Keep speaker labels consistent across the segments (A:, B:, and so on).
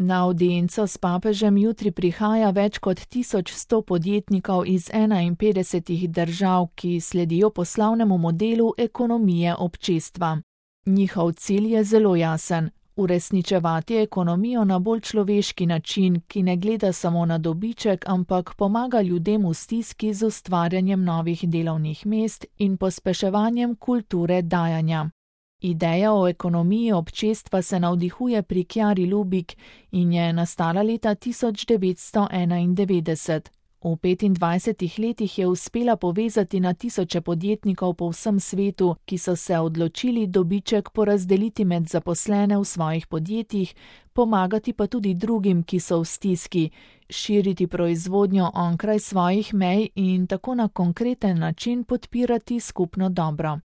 A: Na audienco s papežem jutri prihaja več kot 1100 podjetnikov iz 51 držav, ki sledijo poslovnemu modelu ekonomije občestva. Njihov cilj je zelo jasen: uresničevati ekonomijo na bolj človeški način, ki ne gleda samo na dobiček, ampak pomaga ljudem v stiski z ustvarjanjem novih delovnih mest in pospeševanjem kulture dajanja. Ideja o ekonomiji občestva se navdihuje pri Chiari Lubich in je nastala leta 1991. V 25 letih je uspela povezati na tisoče podjetnikov po vsem svetu, ki so se odločili dobiček porazdeliti med zaposlene v svojih podjetjih, pomagati pa tudi drugim, ki so v stiski, širiti proizvodnjo onkraj svojih mej in tako na konkreten način podpirati skupno dobro.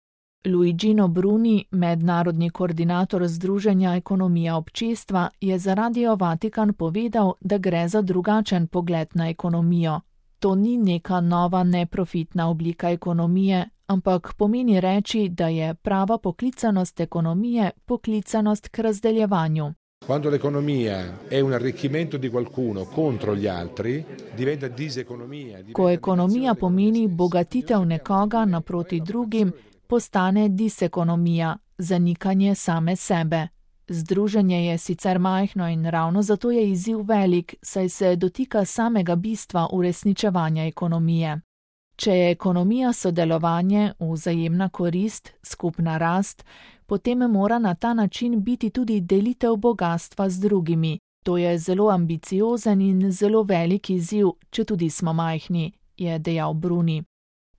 A: Luigino Bruni, mednarodni koordinator Združenja ekonomija občestva, je za Radio Vatikan povedal, da gre za drugačen pogled na ekonomijo. To ni neka nova neprofitna oblika ekonomije, ampak pomeni reči, da je prava poklicanost ekonomije poklicanost k razdeljevanju.
B: Quando l'economia è un arricchimento di qualcuno contro gli altri, diventa diseconomia.
A: Ko ekonomija pomeni bogatitev nekoga naproti drugim, postane disekonomija, zanikanje same sebe. Združenje je sicer majhno in ravno zato je izziv velik, saj se dotika samega bistva uresničevanja ekonomije. Če je ekonomija sodelovanje, vzajemna korist, skupna rast, potem mora na ta način biti tudi delitev bogastva z drugimi. To je zelo ambiciozen in zelo velik izziv, četudi smo majhni, je dejal Bruni.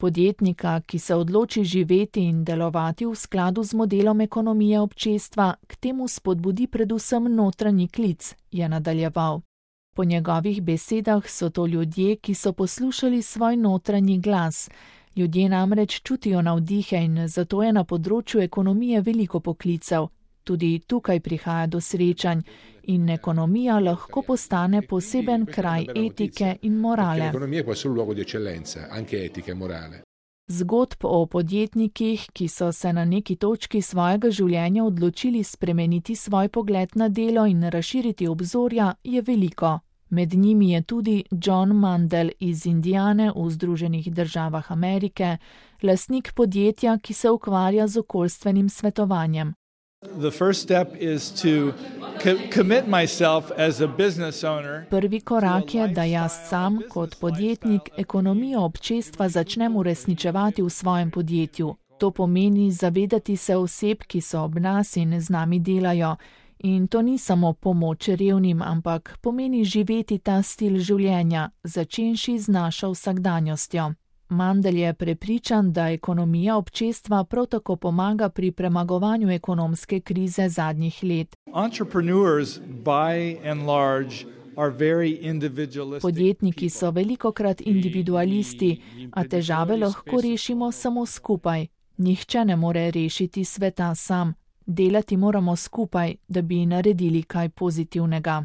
A: Podjetnika, ki se odloči živeti in delovati v skladu z modelom ekonomije občestva, k temu spodbudi predvsem notranji klic, je nadaljeval. Po njegovih besedah so to ljudje, ki so poslušali svoj notranji glas. Ljudje namreč čutijo navdihe in zato je na področju ekonomije veliko poklicev. Tudi tukaj prihaja do srečanj in ekonomija lahko postane poseben kraj etike in morale. Zgodb o podjetnikih, ki so se na neki točki svojega življenja odločili spremeniti svoj pogled na delo in razširiti obzorja, je veliko. Med njimi je tudi John Mandel iz Indiane v Združenih državah Amerike, lastnik podjetja, ki se ukvarja z okoljstvenim svetovanjem. Prvi korak je, da jaz sam, kot podjetnik, ekonomijo občestva začnem uresničevati v svojem podjetju. To pomeni zavedati se oseb, ki so ob nas in z nami delajo. In to ni samo pomoč revnim, ampak pomeni živeti ta stil življenja, začenši z našo vsakdanjostjo. Mandel je prepričan, da ekonomija občestva prav tako pomaga pri premagovanju ekonomske krize zadnjih let. Podjetniki so velikokrat individualisti, a težave lahko rešimo samo skupaj. Nihče ne more rešiti sveta sam. Delati moramo skupaj, da bi naredili kaj pozitivnega.